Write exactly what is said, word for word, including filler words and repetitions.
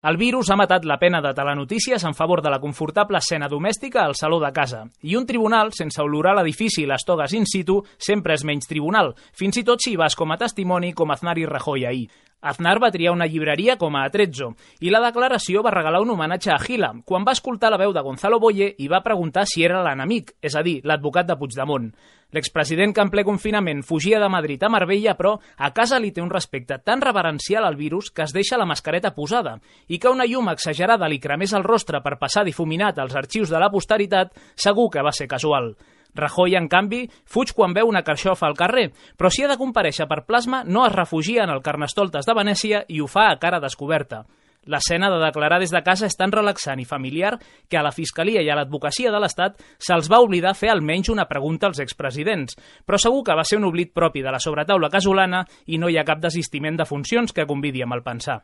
El virus ha matat la pena de telenotícies en favor de la confortable escena domèstica al saló de casa. I un tribunal, sense olorar l'edifici i les togues in situ, sempre és menys tribunal, fins i tot si hi vas com a testimoni com Aznar i Rajoy ahir. Aznar va triar una llibreria com a Atrezzo i la declaració va regalar un homenatge a Gila quan va escoltar la veu de Gonzalo Boye i va preguntar si era l'enemic, és a dir, l'advocat de Puigdemont. L'expresident que en ple confinament fugia de Madrid a Marbella, però a casa li té un respecte tan reverencial al virus que es deixa la mascareta posada i que una llum exagerada li cremés el rostre per passar difuminat als arxius de la posteritat segur que va ser casual. Rajoy, en canvi, fuig quan veu una carxofa al carrer, però si ha de comparèixer per plasma no es refugia en el Carnestoltes de Venècia i ho fa a cara descoberta. L'escena de declarar des de casa és tan relaxant i familiar que a la Fiscalia i a l'Advocacia de l'Estat se'ls va oblidar fer almenys una pregunta als expresidents, però segur que va ser un oblit propi de la sobretaula casolana i no hi ha cap desistiment de funcions que convidi a malpensar.